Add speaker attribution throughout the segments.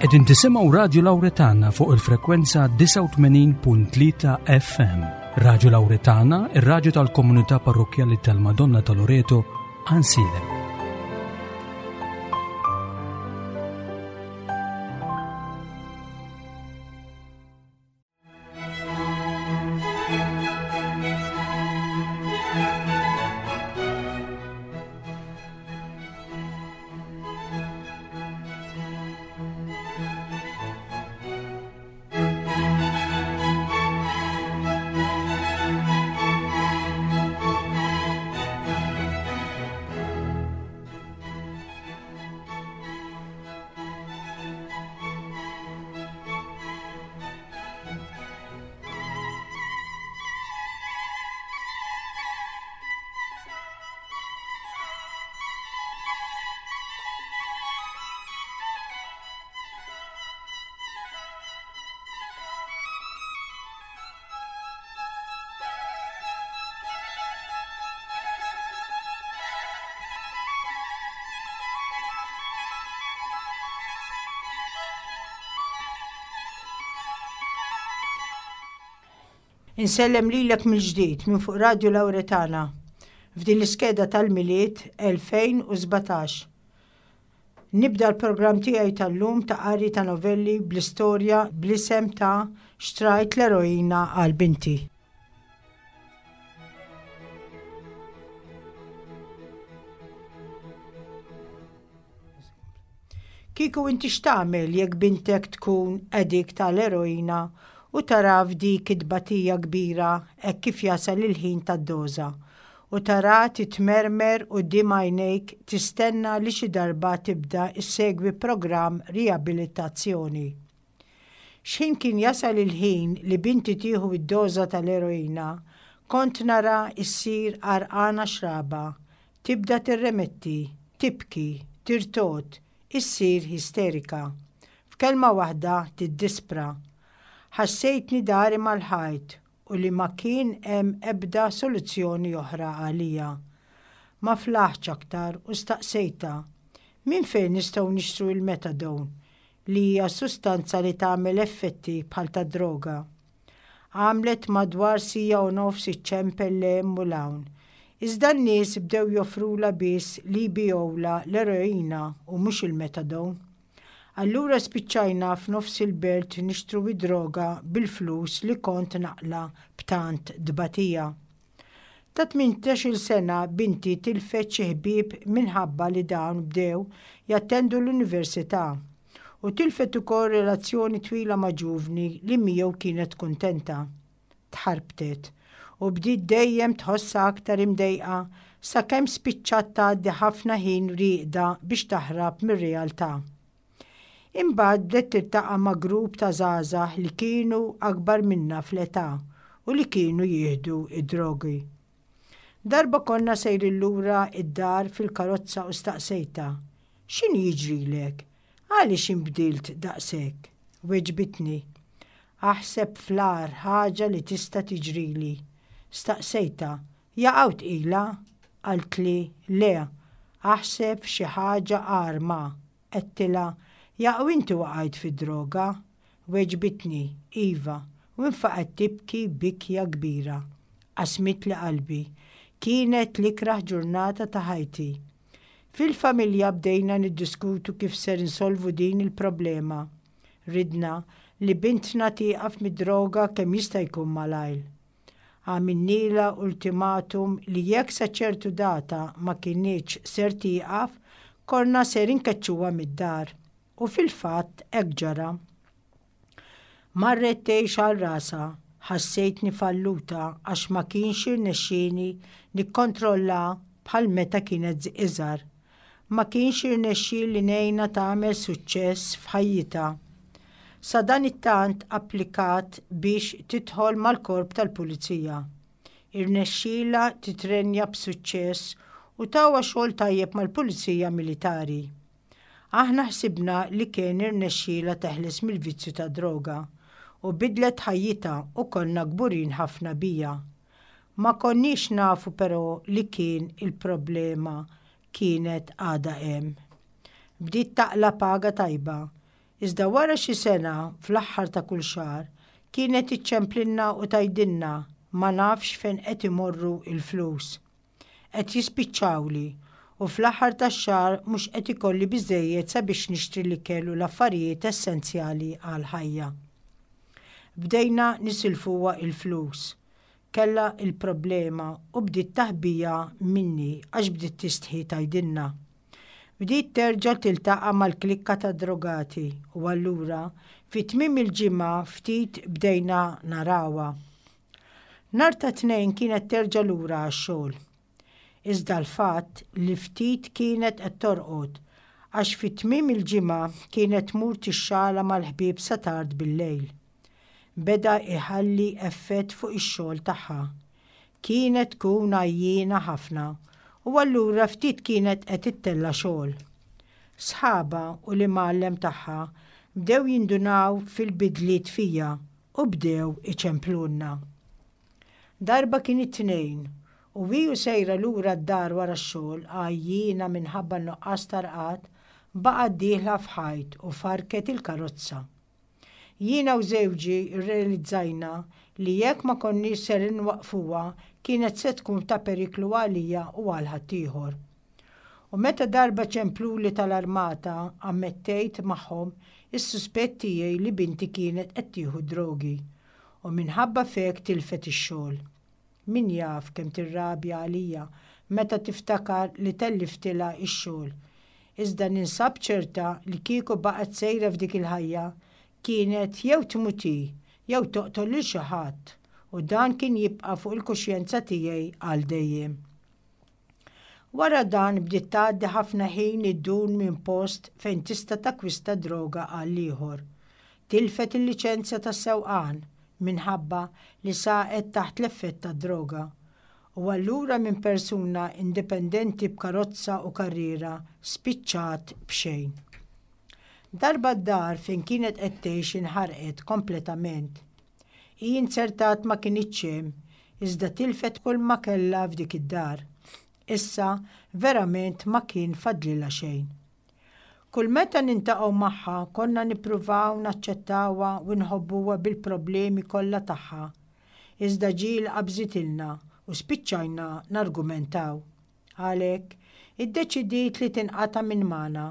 Speaker 1: Qegħdin tisimgħu Radju Lawretana fuq il-frekwenza 89.3 FM. Radju Lawretana, ir-radju tal-komunità parrokkjali tal-Madonna ta' Loreto, Ansilem.
Speaker 2: Insellem lilek mill-ġdid minn fuq Radju Lawretana f'din l-iskeda tal-Milied 2017. Nibda l-programm tiegħi tal-lum ta' qari ta' novelli bl-istorja bl-isem ta' Xtrajt l-eroina għal binti. Kieku inti x'tagħmel jekk bintek tkun addict tal-eroina u tara f'dik it-tbatija kbira hekk kif jasal il-ħin tad-doża u tara titmermer quddiem għajnejk tistenna li xi darba tibda ssegwi programm riabilitazzjoni? X'ħin kien jasal il-ħin li binti tieħu d-doża tal-eroina, kont nara ssir għarqana xraba, tibda tirremetti, tibki, tirtogħod, issir isterika. F'kelma waħda tiddispra. Ħassejtni dari mal-ħajt u li ma kien hemm ebda soluzzjoni oħra għalija. Ma flaħtx aktar u staqsejtha, Minn fejn nistgħu nixtru l-methadone? li hija sustanza li tagħmel effetti bħal tad-droga. Għamlet madwar siegħa u nofs iċċempel 'l hemm u 'l hawn. Iżda n-nies bdew joffrulha biss li jbigħulha l-eroina u mhux il-methadone. Allura spiċċajna f'nofs il-belt nixtru d-droga bil-flus li kont naqla' b'tant tbatija. Ta' 18-il sena binti tilfet xi ħbieb minħabba li dawn bdew jattendu l-università u tilfet ukoll relazzjoni twila ma' ġuvni li miegħu kienet kuntenta. Tħarbtet u bdiet dejjem tħossha aktar imdejqa sakemm spiċċat tgħaddi ħafna ħin rieqda biex taħrab mir-realtà. Imbagħad bdiet tiltaqa' ma' grupp ta' żgħażagħ li kienu akbar minnha fl-età u li kienu jieħdu d-drogi. Darba konna sejrin lura d-dar fil-karozza u staqsejtha, X'inhu jiġrilek? Għaliex inbdilt daqshekk? Weġbitni, Aħseb fl-agħar ħaġa li tista' tiġrili. Staqsejtha, Jaqaw tqila? Qaltli, Le, aħseb f'xi ħaġa agħar ma. Għedtilha, Jaqaw inti waqajt fid-droga? Weġbitni, Iva, u nfaqgħet tibki bikja kbira. Qasmitli qalbi. Kienet l-ikrah ġurnata ta' ħajti. Fil-familja bdejna niddiskutu kif ser insolvu din il-problema. Ridna li bintna tieqaf mid-droga kemm jista' jkun malajr. Għamilnielha ultimatum li jekk sa ċertu data ma kinitx ser tieqaf, konna ser inkeċċuha mid-dar. U fil-fatt hekk ġara. Marret tgħix għal rasha. Ħassejtni falluta għax ma kienx irnexxieni nikkontrollaha bħal meta kienet iżgħar. Ma kienx irnexxieli ngħinha tagħmel suċċess f'ħajjitha. Sadanittant applikat biex tidħol mal-Korp tal-Pulizija. Irnexxielha titrenja b'suċċess u tawha xogħol tajjeb mal-Pulizija Militari. Aħna ħsibna li kien irnexxielha teħles mill-vizzju tad-droga u bidlet ħajjitha u konna kburin ħafna biha. Ma konniex nafu però li kien il-problema kienet għadha hemm. Bdiet taqla' paga tajba. Iżda wara xi sena, fl-aħħar ta' kull xahar, kienet iċċemplilna u tgħidilna ma nafx fejn qed imorru l-flus. Qed jispiċċawli u fl-aħħar tax-xahar mhux qed ikolli biżżejjed sabiex nixtri l-ikel u l-affarijiet essenzjali għall-ħajja. Bdejna nisilfuha l-flus. Kellha l-problema u bdiet taħbiha minni għax bdiet tistħi tgħidilna. Bdiet terġa' tiltaqa' mal-klikka tad-drogati u allura fi tmiem il-ġimgħa ftit bdejna narawha. Nhar ta' Tnejn kienet terġa' lura għax-xogħol. Iżda l-fatt li ftit kienet qed torqod għax fi tmiem il-ġimgħa kienet tmur tixxala mal-ħbieb sa tard bil-lejl. Beda jħalli effett fuq ix-xogħol tagħha. Kienet tkun għajjiena ħafna u allura ftit kienet qed ittella' xogħol. Sħabha u l-imgħallem tagħha bdew jindunaw fil-bidliet fija u bdew iċemplulna. Darba kien it-Tnejn u hi u sejra lura d-dar wara x-xogħol għajjiena minħabba n-nuqqas ta' rqad, baqgħet dieħla f'ħajt u farrket il-karozza. Jiena u żewġi rrealizzajna li jekk ma konniex ser inwaqqfuha kienet se tkun ta' periklu għalija u għal ħaddieħor. U meta darba ċempluli tal-armata ammettejt magħhom is-suspett tiegħi li binti kienet qed tieħu d-drogi u minħabba f'hekk tilfet ix-xogħol. Min jaf kemm tirrabja għalija meta tiftakar li telliftilha x-xogħol. Iżda ninsab ċerta li kieku baqgħet sejra f'dik il-ħajja, kienet jew tmut hi jew toqtol lil xi ħadd u dan kien jibqa' fuq il-kuxjenza tiegħi għal dejjem. Wara dan bdiet tgħaddi ħafna ħin iddur minn post fejn tista' takkwista droga għal ieħor. Tilfet il-liċenzja tas-sewqan minħabba li saqet taħt l-effett tad-droga. U allura minn persuna indipendenti b'karozza u karriera spiċċat b'xejn. Darba d-dar fejn kienet qed tgħix inħarqet kompletament. Hi inzertat ma kinitx hemm, iżda tilfet kulma kellha f'dik id-dar. Issa verament ma kien fadlilha xejn. Kull meta nintaqgħu magħha konna nippruvaw naċċettawha u nħobbuha bil-problemi kollha tagħha. Iżda ġieli qabżitilna u spiċċajna nargumentaw. Għalhekk, iddeċidiet li tinqata' minn magħna.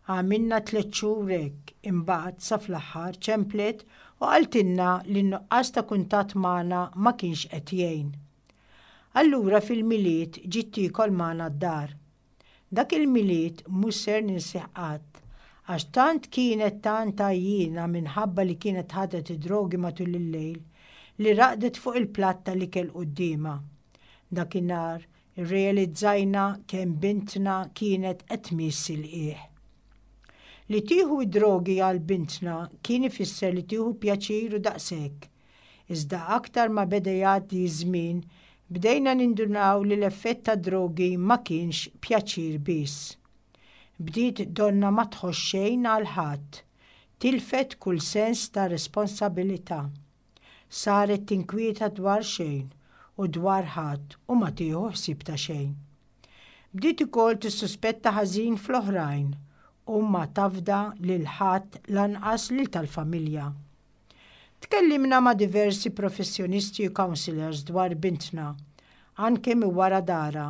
Speaker 2: Għamilna tlett xhur hekk, imbagħad sa fl-aħħar ċemplet u qaltilna li n-nuqqas ta' kuntatt magħna ma kienx qed jgħin. Allura fil-Milied ġiet tiekol magħna d-dar. Dak il-Milied mhux ser ninsih qatt, għax tant kienet tant għajjiena minħabba li kienet ħadet id-drogi matul il-lejl, li raqdet fuq il-platt tal-ikel quddiemha. Dakinhar irrealizzajna kemm bintna kienet qed tmiss il-qiegħ. Li tieħu d-drogi għal bintna kien ifisser li tieħu pjaċir u daqshekk. Iżda aktar ma beda jgħaddi ż-żmien, bdejna nindunaw li l-effett tad-drogi ma kienx pjaċir biss. Bdiet donnha ma tħoss xejn għal ħadd. Tilfet kull sens ta' responsabilità. Saret tinkwieta dwar xejn u dwar ħadd u ma tieħu ħsieb ta' xejn. Bdiet ukoll tissuspetta ħażin fl-oħrajn u ma tafda lil ħadd lanqas lil tal-familja. Tkellimna ma' diversi professjonisti u counsellors dwar bintna, anke minn wara darha,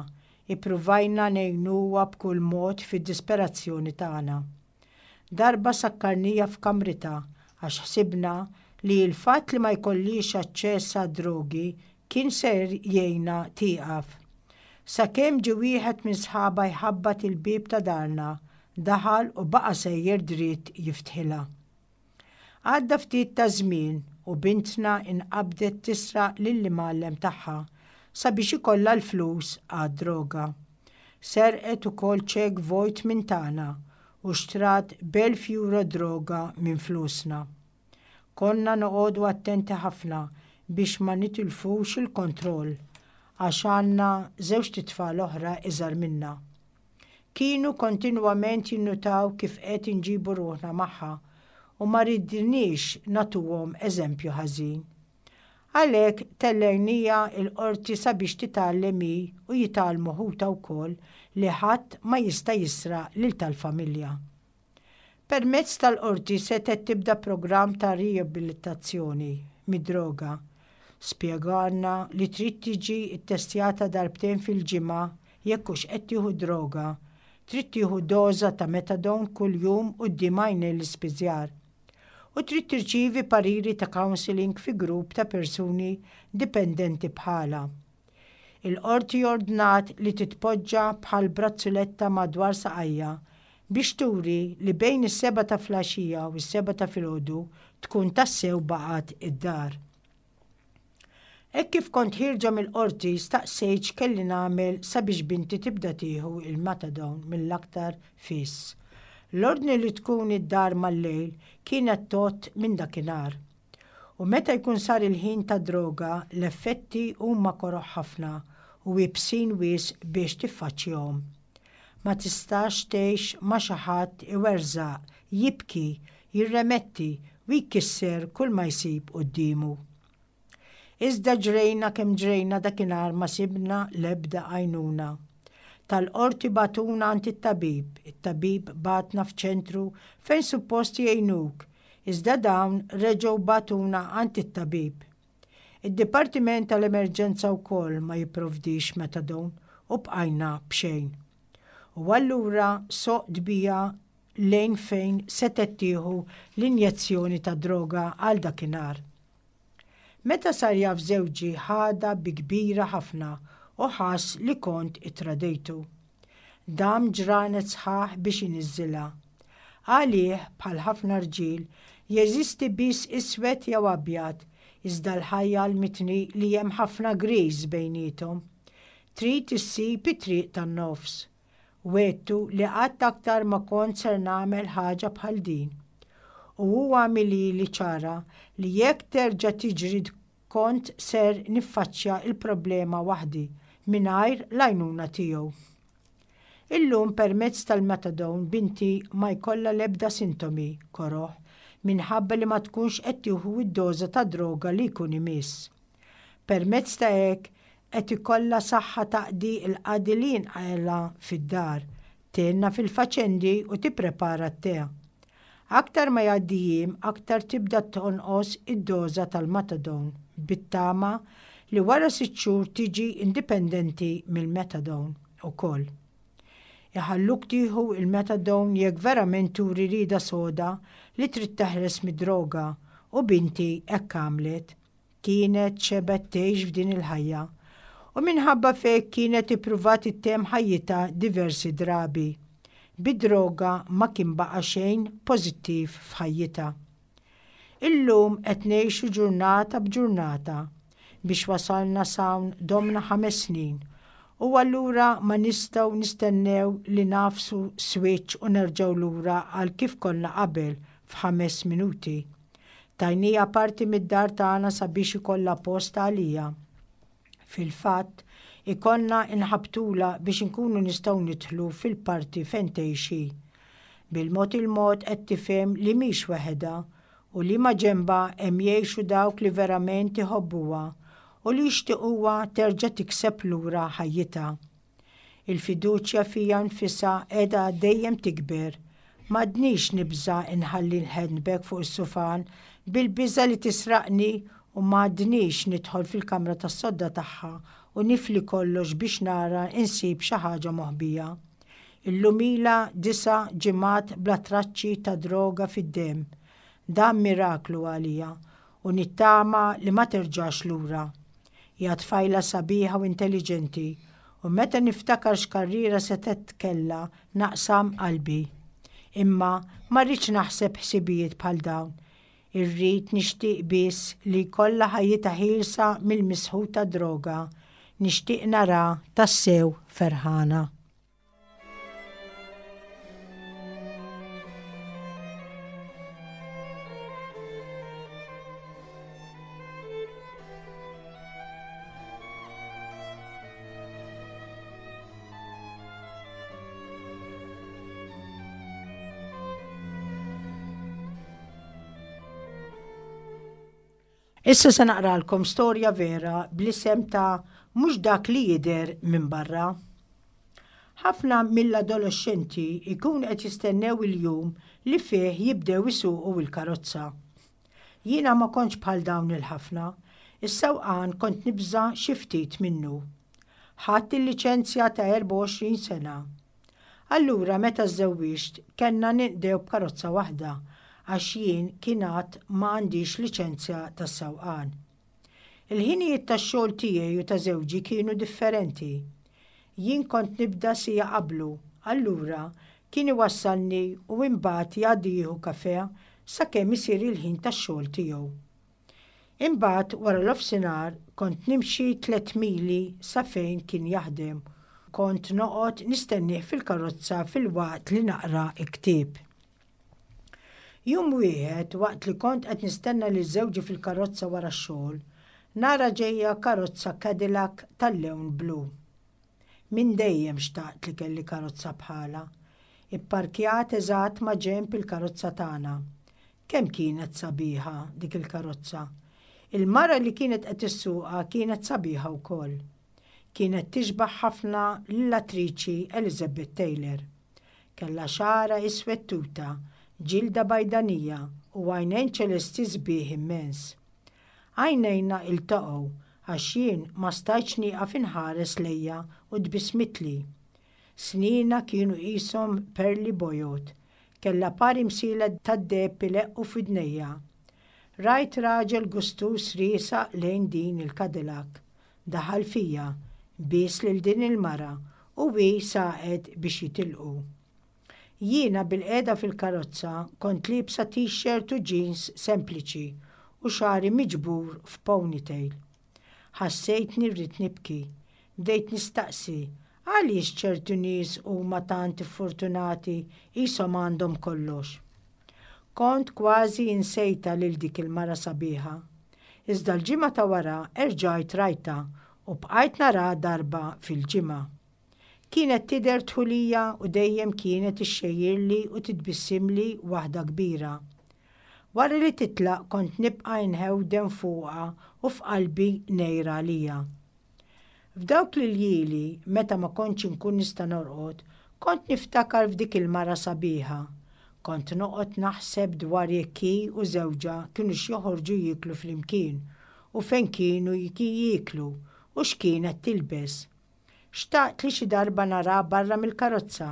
Speaker 2: ippruvajna ngħinuha b'kull mod fid-disperazzjoni tagħna. Darba sakkarniha f'kamritha għax ħsibna li l-fatt li ma jkollhiex aċċess għad-drogi kien ser jgħinha tieqaf. Sakemm ġie wieħed minn sħabha jħabbat il-bieb ta' darna, daħal u baqa' sejjer dritt jiftħilha. Għadda ftit taż-żmien u bintna inqabdet tisraq lill-imgħallem tagħha sabiex ikollha l-flus għad-droga. Serqet ukoll ċekk vojt minn tagħna u xtrat b'elf euro droga minn flusna. Konna noqogħdu attenti ħafna biex ma nitilfux il-kontroll għax għandna żewġt itfal oħra iżgħar minna. Kienu kontinwament jinnutaw kif qed inġibu ruħna magħha u ma ridniex nagħtuhom eżempju ħażin. Għalhekk tellejniha l-qorti sabiex titgħallem hi u jitgħallmu ħutha wkoll li ħadd ma jista' jisraq lil tal-familja. Permezz tal-qorti setgħet tibda programm ta' riabilitazzjoni mid-droga. Spjegalna li trid tiġi ttestjata darbtejn fil-ġimgħa jekk hux qed tieħu droga. Trid tieħu doża ta' methadone kuljum quddiem għajnejn l-ispiżjar. U trid tirċievi pariri ta' counselling fi grupp ta' persuni dipendenti bħalha. Il-Qorti ordnat li titpoġġa bħal brazzuletta madwar saqajha biex turi li bejn is-sebgħa ta' flaxija u s-sebgħa ta' filgħodu tkun tassew baqgħet id-dar. Hekk kif kont ħierġa mill-Qorti staqsejt x'kelli nagħmel sabiex binti tibda tieħu l-methadone mill-aktar fis. L-ordni li tkun id-dar mal-lejl kienet tgħodd minn dakinhar. U meta jkun sar il-ħin tad-droga, l-effetti huma koroh ħafna u iebsin wisq biex tiffaċċjahom. Ma tistax tgħix ma' xi ħadd iwerżaq, jibki, jirremetti u jkisser kulma jsib quddiemu. Iżda ġrejna kemm ġrejna dakinhar ma sibna l-ebda għajnuna. Tal-qorti bagħtuna għand it-tabib, it-tabib bagħatna f'ċentru fejn suppost jgħinuk, iżda dawn reġgħu bagħtuna għand it-tabib. Id-dipartiment tal-emerġenza wkoll ma jipprovdix methadone u bqajna b'xejn. U allura soqt bija lejn fejn setgħet tieħu l-injezzjoni tad-droga għal dakinhar. Meta sar jaf żewġi ħadha bi kbira ħafna u ħass li kont ittradejtu. Dam ġranet sħaħ biex iniżżilha. Għalih, bħal ħafna rġiel, jeżisti biss iswed jew abjad, iżda l-ħajja għallmitni li hemm ħafna griż bejniethom. Trid issib it-triq tan-nofs. Wegħdtu li qatt aktar ma kont ser nagħmel ħaġa bħal din. U hu għamilhieli ċara li jekk terġa' tiġri kont ser niffaċċja l-problema waħdi mingħajr l-għajnuna tiegħu. Illum permezz tal-methadone binti ma jkollha l-ebda sintomi koroh minħabba li ma tkunx qed tieħu d-doża ta' droga li jkun imiss. Permezz ta' hekk qed ikollha saħħa taqdi l-qadi li jinqala' fid-dar, tgħinna fil-faċendi u tipprepara t-te. Aktar ma jgħaddi jiem aktar tibda tonqos id-doża tal-methadone bit-tama li wara sitt xhur tiġi indipendenti mill-methadone ukoll. Iħalluk tieħu l-methadone jekk verament turi rieda soda li trid teħles mid-droga u binti hekk għamlet. Kienet xebgħet tgħix f'din il-ħajja u minħabba f'hekk kienet ippruvat ittemm ħajjitha diversi drabi. Bid-droga ma kien baqa' xejn pożittiv f'ħajjitha. Illum qed ngħixu ġurnata b'ġurnata. Biex wasalna s'hawn domna ħames snin u allura ma nistgħu nistennew li nagħfsu switch u nerġgħu lura għal kif konna qabel f'ħames minuti. Tajnieha parti mid-dar tagħna sabiex ikollha post għaliha. Fil-fatt, ikollna nħabbtulha biex inkunu nistgħu nidħlu fil-parti fejn tgħix hi. Bil-mod il-mod qed tifhem li mhix weħedha u li maġenbha hemm jgħixu dawk li verament iħobbuha u li jixtiquha terġa' tikseb lura ħajjitha. Il-fiduċja fija nfisha qiegħda dejjem tikber. M'għadnix nibża' nħalli l-handbag fuq is-sufan bil-biża' li tisraqni u m'għadnix nidħol fil-kamra tas-sodda tagħha u nifli kollox biex nara nsib xi ħaġa moħbija. Illum ilha disa' ġimgħat bla traċċi ta' droga fid-demm. Dan miraklu għalija u nittama li ma terġax lura. Hija tfajla sabiħa u intelliġenti u meta niftakar x'karriera setgħet kellha naqsam qalbi. Imma ma rridx naħseb ħsibijiet bħal dawn. Irrid nixtieq biss li jkollha ħajjitha ħielsa mill-misħut tad-droga. Nixtieq naraha tassew ferħana. Issa se naqralkom storja vera bl-isem ta' Mhux dak li jidher minn barra. Ħafna mill-adoloxxenti jkunu qed jistennew il-jum li fih jibdew isuqu l-karozza. Jiena ma kontx bħal dawn il-ħafna. Is-sewqan kont nibża' xi ftit minnu. Ħadt il-liċenzja ta' 24 sena. Allura meta żżewwiġt kellna ninqdew b'karozza waħda għax jien kien għad ma għandix liċenzja tas-sewqan. Il-ħinijiet tax-xogħol tiegħi u ta' żewġi kienu differenti. Jien kont nibda siegħa qablu, allura kien iwassalni u imbagħad jgħaddi jieħu kafè sakemm isir il-ħin tax-xogħol tiegħu. Imbagħad wara nofsinhar kont nimxi tlett mili sa fejn kien jaħdem. Kont noqgħod nistennieh fil-karozza filwaqt li naqra l-ktieb. Jum wieħed waqt li kont qed nistenna lil żewġi fil-karozza wara x-xogħol, nara ġejja karozza Cadillac tal-lewn blu. Minn dejjem xtaqt li kelli karozza bħalha. Ipparkjat eżatt ma' ġenb il-karozza tagħna. Kemm kienet sabiħa dik il-karozza! Il-mara li kienet qed issuqha kienet sabiħa wkoll. Kienet tixbah ħafna lill-attriċi Elizabeth Taylor. Kellha xagħarha iswed tuta, ġilda bajdanija u għajnejn ċelesti sbieħ immens. Għajnejna iltaqgħu għax jien ma stajtx nieqaf inħares lejha u tbissmitli. Snienha kienu qishom perli bojod. Kellha par imsielet tad-deheb ileqqu f'widnejha. Rajt raġel gustuż riesaq lejn din il-Cadillac. Daħal fija, bies lil din il-mara u hi saqet biex jitilqu. Jiena bilqiegħda fil-karozza kont liebsa t-shirt u jeans sempliċi u xagħri miġbur f'ponytail. Ħassejtni rrid nibki. Bdejt nistaqsi għaliex ċertu nies huma tant iffortunati qishom għandhom kollox. Kont kważi insejtha lil dik il-mara sabiħa. Iżda l-ġimgħa ta' wara erġajt rajtha u bqajt naraha darba fil-ġimgħa. Kienet tidher dħulija u dejjem kienet ixxejjirli u titbissimli waħda kbira. Wara li titlaq kont nibqa' inhewden fuqha u f'qalbi ngħir għaliha. F'dawk l-iljieli, meta ma kontx inkun nista' norqod, kont niftakar f'dik il-mara sabiħa. Kont noqgħod naħseb dwar jekk hi u żewġha kinux joħorġu jieklu flimkien u fejn kienu jieklu u x'kienet tilbes. Xtaqt li xi darba naraha barra mill-karozza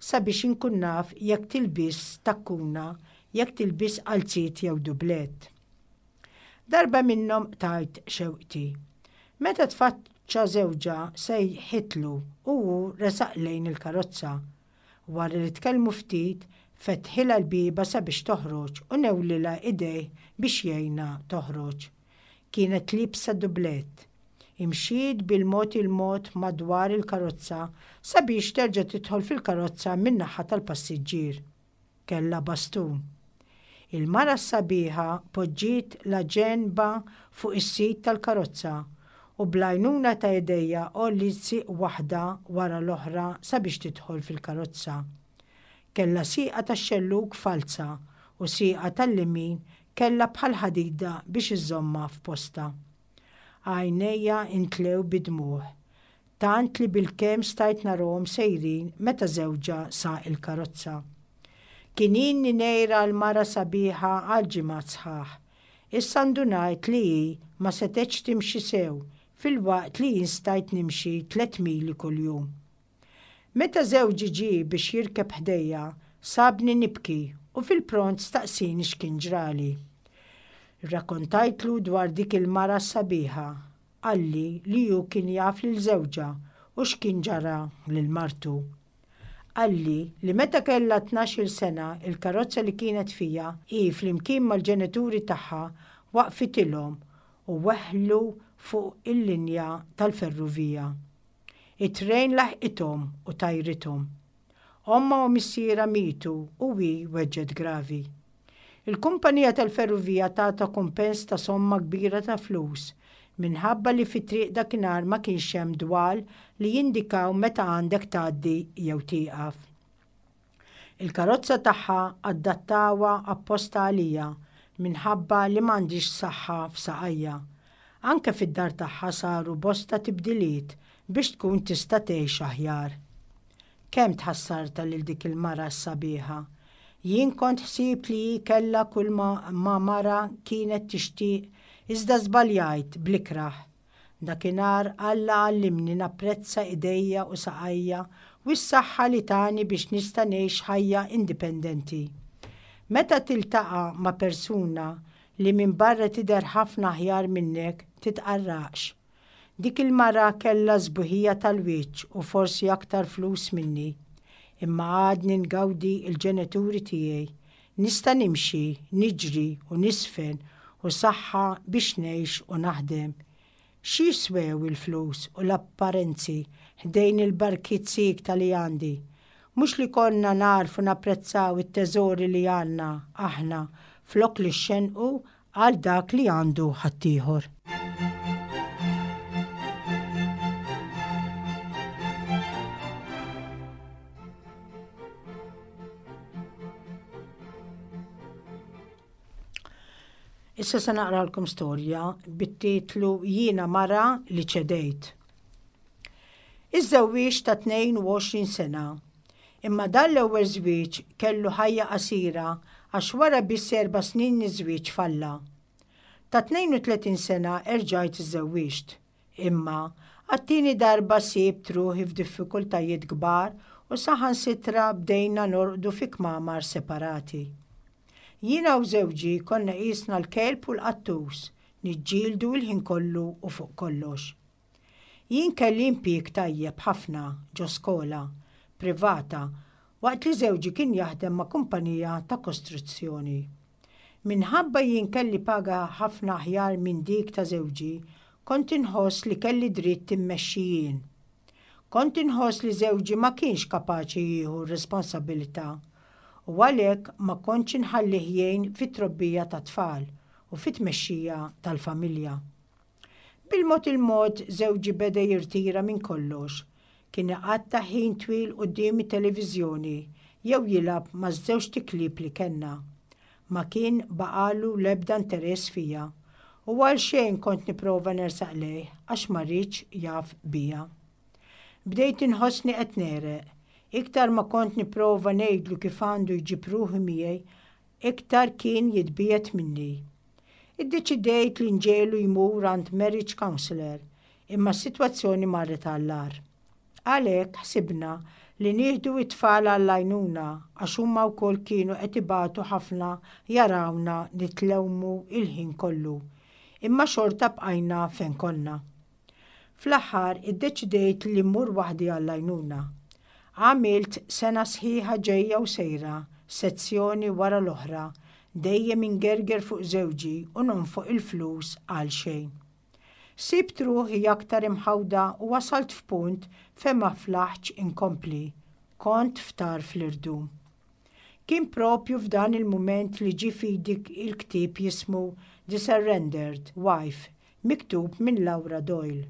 Speaker 2: sabiex inkun naf jekk tilbisx takkuna, jekk tilbisx qalziet jew dublett. Darba minnhom qtajt xewqti. Meta tfaċċa żewġha sejħitlu u hu resaq lejn il-karozza. Wara li tkellmu ftit, fetħilha l-bieba sabiex toħroġ u newlilha idejh biex jgħinha toħroġ. Kienet liebsa dublett. Imxiet bil-mod il-mod madwar il-karozza sabiex terġa' tidħol fil-karozza min-naħa tal-passiġġier. Kellha bastun. Il-mara s-sabiħa poġġiet la ġenbha fuq is-sit tal-karozza u bl-għajnuna ta' idejha għolliet sieq waħda wara l-oħra sabiex tidħol fil-karozza. Kellha sieqa tax-xellug falza u sieqa tal-lemin kellha bħal ħadida biex iżżommha f'postha. Għajnejja intlew bid-dmugħ, tant li bilkemm stajt narahom sejrin meta żewġha saq il-karozza. Kien ilni ngħir għal mara sabiħa għal ġimgħat sħaħ. Issa ndunajt li hi ma setgħetx timxi sew filwaqt li jien stajt nimxi tlett mili kuljum. Meta żewġi ġie biex jirkeb ħdejja, sabni nibki u fil-pront staqsieni x'kien ġrali. Irrakkontajtlu dwar dik il-mara s-sabiħa. Qalli li hu kien jaf lil żewġha u x'kien ġara lil martu. Qalli li meta kellha 12-il sena il-karozza li kienet fiha hi flimkien mal-ġenituri tagħha waqfitilhom u weħlu fuq il-linja tal-ferrovija. It-trejn laħqithom u tajrithom. Ommha u missierha mietu u hi weġġgħet gravi. Il-kumpanija tal-ferrovija tatha kumpens ta' somma kbira ta' flus minħabba li fit-triq dakinhar ma kienx hemm dwal li jindikaw meta għandek tgħaddi jew tieqaf. Il-karozza tagħha adattawha apposta għalija minħabba li m'għandix saħħa f'saqajja. Anke fid-dar tagħha saru bosta tibdiliet biex tkun tista' tgħix aħjar. Kemm tħassartha lil dik il-mara s-sabiħa. Jien kont ħsibt li hi kellha kull ma ma mara kienet tixtieq iżda żbaljajt bl-ikrah. Dakinhar Alla għallimni napprezza idejja u saqajja u s-saħħa li tani biex nista' ngħix ħajja indipendenti. Meta tiltaqa' ma' persuna li minn barra tidher ħafna aħjar minnek titqarraqx. Dik il-mara kellha s-sbuħija tal-wiċċ u forsi aktar flus minni. Imma għadni ngawdi l-ġenituri tiegħi. Nista' nimxi, niġri u niżfen u saħħa biex ngħix u naħdem. X'jiswew il-flus u l-apparenzi ħdejn il-barkiet siekta li għandi? Mhux li konna nagħrfu napprezzaw it-teżori li għandna aħna flok li xxennqu għal dak li għandu ħaddieħor. Issa se naqralkom storja bit-titlu Jiena mara li ċedejt. Iżżewwieġ ta' 22 sena. Imma dan l-ewwel żwieġ kellu ħajja qasira għax wara biss erba' snin miż-żwieġ falla. Ta' 32 sena erġajt iżżewwiġt. Imma, għat-tieni darba sibt ruħi f'diffikultajiet kbar u saħansitra bdejna norqdu fi kmamar separati. Jiena u żewġi konna qisna l-kelb u l-qattus, niġġieldu l-ħin kollu u fuq kollox. Jien kelli impjieg tajjeb ħafna ġo skola privata waqt li żewġi kien jaħdem ma' kumpanija ta' kostruzzjoni. Minħabba jien kelli paga ħafna aħjar minn dik ta' żewġi, kont inħoss li kelli dritt immexxi jien. Kont inħoss li żewġi ma kienx kapaċi jieħu r-responsabbilità u għalhekk ma kontx inħallih jgħin fit-trobbija tat-tfal u fit-tmexxija tal-familja. Bil-mod il-mod żewġi beda jirtira minn kollox. Kien iqatta' ħin twil quddiem it-televiżjoni jew jilgħab maż-żewġt iklieb li kellna. Ma kien baqagħlu l-ebda interess fija u għalxejn kont nipprova nersaq lejh għax ma riedx jaf bija. Bdejt inħossni qed negħreq. Iktar ma kont nipprova ngħidlu kif għandu jġib ruħu miegħi, iktar kien jitbiegħed minni. Iddeċidejt li nġegħlu jmur għand marriage counsellor, imma s-sitwazzjoni marret għall-agħar. Għalhekk ħsibna li nieħdu t-tfal għall-għajnuna għax huma wkoll kienu qed ibatu ħafna jarawna nitlewmu l-ħin kollu. Imma xorta bqajna fejn konna. Fl-aħħar iddeċidejt li mmur waħdi għall-għajnuna. Għamilt sena sħiħa ġejja u sejra, sezzjoni wara l-oħra, dejjem ingerger fuq żewġi u nonfoq il-flus għal xejn. Sibt ruħi aktar imħawda u wasalt f'punt fejn ma flaħtx inkompli. Kont f'tarf l-irdum. Kien propju f'dan il-mument li ġie f'idi l-ktieb jismu The Surrendered Wife miktub minn Laura Doyle.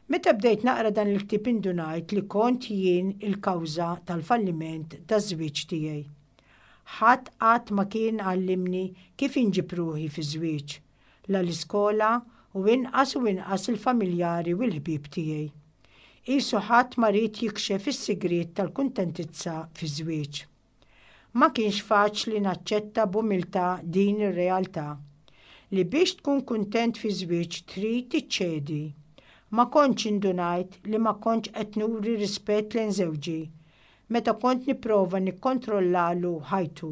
Speaker 2: Meta bdejt naqra dan il-ktieb indunajt li kont jien il-kawża tal-falliment taż-żwieġ tiegħi. Ħadd qatt ma kien għallimni kif inġib ruħi fiż-żwieġ, la l-iskola u inqas u inqas il-familjari u l-ħbieb tiegħi. Qisu ħadd ma ried jikxef is-sigriet tal-kuntentizza fiż-żwieġ. Ma kienx faċli naċċetta b'umiltà din ir-realtà. Li biex tkun kuntent fi żwieġ trid iċċedi. Ma kontx indunajt li ma kontx qed nuri rispett lejn żewġi meta kont nipprova nikkontrollalu ħajtu.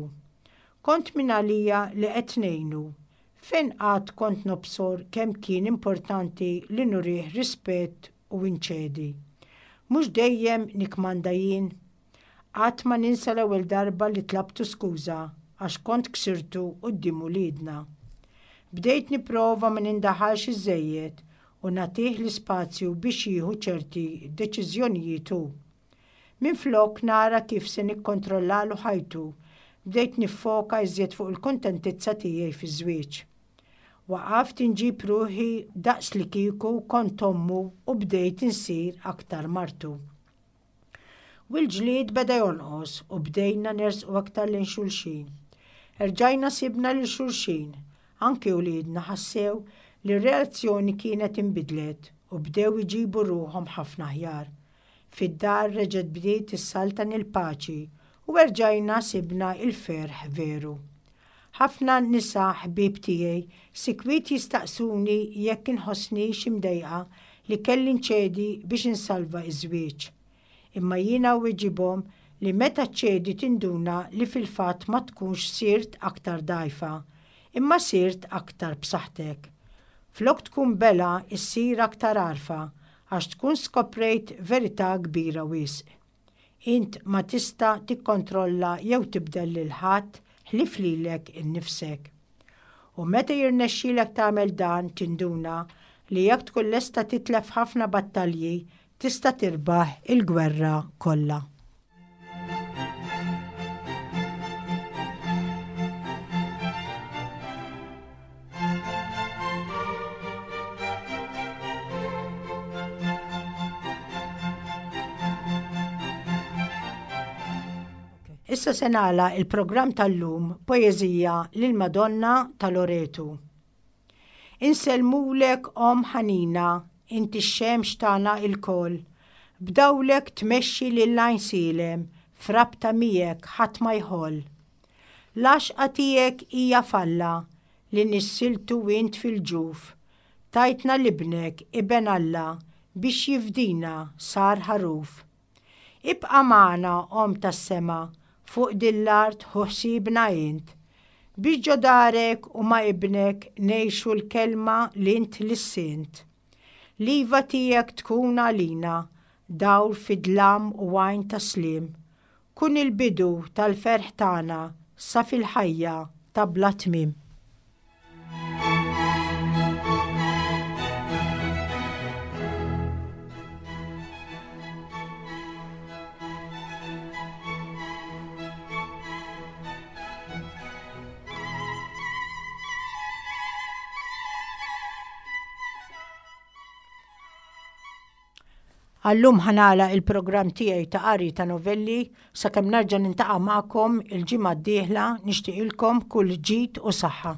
Speaker 2: Kont mingħalija li qed ngħinu. Fejn qatt kont nobsor kemm kien importanti li nurih rispett u nċedi. Mhux dejjem nikkmanda jien? Qatt ma ninsa l-ewwel darba li tlabtu skuża għax kont ksirtu quddiem uliedna. Bdejt nipprova ma nindaħalx iżżejjed u nagħtih l-ispazju biex jieħu ċerti deċiżjonijiet hu. Minflok nara kif se nikkontrollalu ħajtu, bdejt niffoka iżjed fuq il-kuntentizza tiegħi fiż-żwieġ. Waqaft inġib ruħi daqslikieku kont ommu u bdejt insir aktar martu. U l-ġlied beda jonqos u bdejna nersqu aktar lejn xulxin. Erġajna sibna lil xulxin. Anki uliedna ħassew li r-relazzjoni kienet inbidlet u bdew iġibu ruħhom ħafna aħjar. Fid-dar reġgħet bdiet issaltan il-paċi u erġajna sibna l-ferħ veru. Ħafna nisa ħbieb tiegħi sikwit jistaqsuni jekk inħossnix imdejqa li kelli nċedi biex insalva ż-żwieġ. Imma jiena nwiġibhom li meta ċċedi tinduna li fil-fatt ma tkunx sirt aktar dgħajfa, imma sirt aktar b'saħħtek. Flok tkun belha issir aktar għarfa għax tkun skoprejt verità kbira wisq. Int ma tista' tikkontrolla jew tibdel lil ħadd ħlief lilek innifsek. U meta jirnexxilek tagħmel dan tinduna li jekk tkun lesta titlef ħafna battalji tista' tirbaħ il-gwerra kollha. Issa se nagħlaq il-programm tal-lum poeżija lil Madonna ta' Loretu. Insellmulek Omm ħanina, inti x-xemx tagħna ilkoll. B'dawlek tmexxi lil Għajnsielem, f'rabta miegħek ħadd ma jħoll. L-għaxqa tiegħek hija f'Alla, li nissiltu int fil-ġuf. Tajtna 'l Ibnek, Iben Alla, biex jifdina, sar ħaruf. Ibqa' magħna, Omm tas-sema, fuq din l-art ħu ħsiebna int. Biex ġo darek u ma' Ibnek ngħixu l-kelma li int lissint. L-iva tiegħek tkun għalina, dawl fid-dlam u għajn ta' sliem. Kun il-bidu tal-ferħ tagħna sa fil-ħajja ta' bla tmiem. Għallum ħa nagħlaq il-programm tiegħi ta' qari ta' novelli sakemm nerġa' nintaqa' magħkom il-ġimgħa d-dieħla nixtieqilkom kull ġid u saħħa.